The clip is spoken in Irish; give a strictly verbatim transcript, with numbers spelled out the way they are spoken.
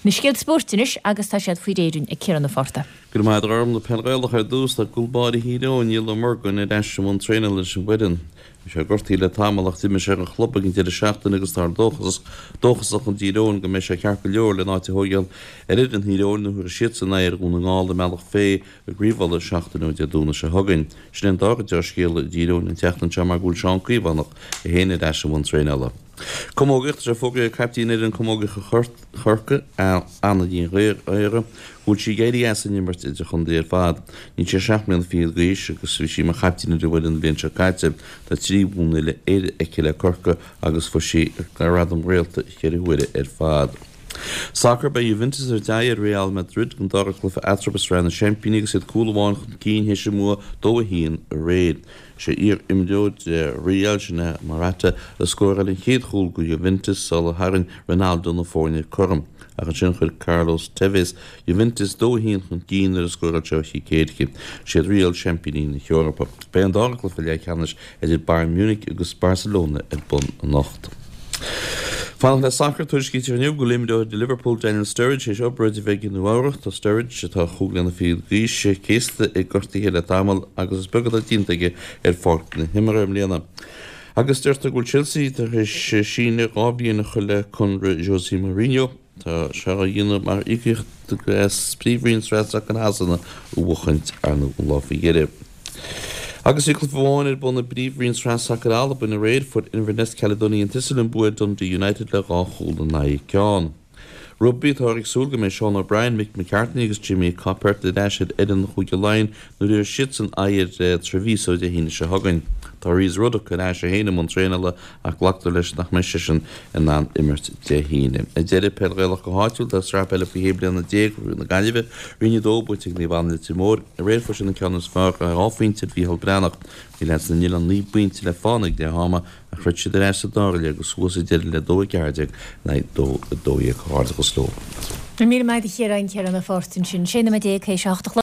Na scéalta spóirt anois agus tá siad faoi réir ag Ciarán Ó Fátharta. Go raibh maith agat a Ghormfhlaith. Peil Ghaelach ar dtús, tá cúl báire Thír Eoghain, Niall Ó Murgúin, ar ais i mbun traenála leis an bhfoireann. Bhí sé gortaithe le tamall ach d'imir sé don chlub ag an deireadh seachtaine agus táthar dóchasach i dTír Eoghain go mbeidh sé ceart go leor lena áit a thógáil ar fhoireann Thír Eoghain nuair a thabharfaidh siadsan aghaidh ar Dhún na nGall i mBealach Féich i gCraobh Uladh seachtain ó Dé Domhnaigh seo chugainn. Sin é an dara dea-scéala i dTír Eoghain an tseachtain seo mar go bhfuil Seán Caomhánach é féin ar ais i mbun traenála. Camógaíocht, Tá sé fógraithe ag caiptín fhoireann camógaíochta Chorcaí, Anna Ní Ghaora, go bhfuil sí ag éirí as an imirt idirchontae ar fad. Níl sí ach seacht mbliana fichead d'aois agus bhí sí mar chaiptín ar an bhfoireann an bhliain seo caite. Tá trí bhua uile-Éireann aici le Corcaigh agus fuair sí gradam réalta ceithre huaire ar fad. Sacar, Beidh Juventus ag tabhairt aghaidh ar Real Madrid don dara cluiche eatarthu i Sraith na Seaimpíní agus iad cúl amháin chun cinn théis a mbua dó a haon aréir. Sé iar-imreoir Real, sin é Morata, a scóráil an chéad chúl do Juventus sular tharraing Ronaldo na foirne cothrom. Ach ansin chuir Carlos Tevez Juventus dó a haon chun cinn nuair a scóráil sé ó chic éirice. Siad Real seaimpíní na hEorpa. Beidh an dara cluiche leathcheannais idir Bayern Munich agus Barcelona ar bun anocht. Fanacht le sacar, tuairiscítear inniu go bhfuil imreoir do Liverpool Daniel Sturridge théis obráid a bheidh i Nua-Eabhrac. Tá Sturridge, atá chúig bliana fichead d'aois, céasta ag gortuithe le tamall agus is beag atá déanta aige ar pháirc na himeartha i mbliana. Agus deirtear go bhfuil Chelsea tar éis síneadh dhá bhliain a chur le conradh José Mourinho. Tá sé á dhéanamh mar íocaíocht as Príomhroinn Sraith Sacair Shasana a bhuachaint ar ndóigh an lá faoi dheireadh. Agus bhí cluiche amháin ar bun i bPríomhroinn Sraith Sacair Albain aréir, fuair Inverness Caledonian Thistle an bua ar Dundee United le dhá chúl in aghaidh ceann. Rugbaí, Táthar ag súil go mbeidh Sean O'Brien, Mick McCarthy agus Jimmy Coppert ar ais ar fhoireann Chúige Laighean nuair a thabharfaidh siadsan aghaidh ar Treviso Dé hAoine seo chugainn. Tá Rhys Ruddock ar ais é féin i mbun traenála ach glactar leis nach mbeidh seisean in ann imirt Dé hAoine. Ar deireadh, Peil Ghaelach go háitiúil, tá Sraith Peile faoi shé bliana déag Chraobh na Gaillimhe, Roinn a dó, buaite ag Naomh Anna Leitir Móir. Aréir fuair siad an ceann is fearr ar dhá phointe ar Mhícheál Breathnach. Bhí leaids na nOileán naoi bpointe le fána ag leath ama ach throid siad ar ais sa dara leath agus suas sa deireadh le dó a ceathair déag in aghaidh dó a dó dhéag. Comhghairdeachas leo. Míle maith agat a Chiaráin, Ciarán Ó Fátharta ansin. Sé nóiméad déag théis a hocht a chlog.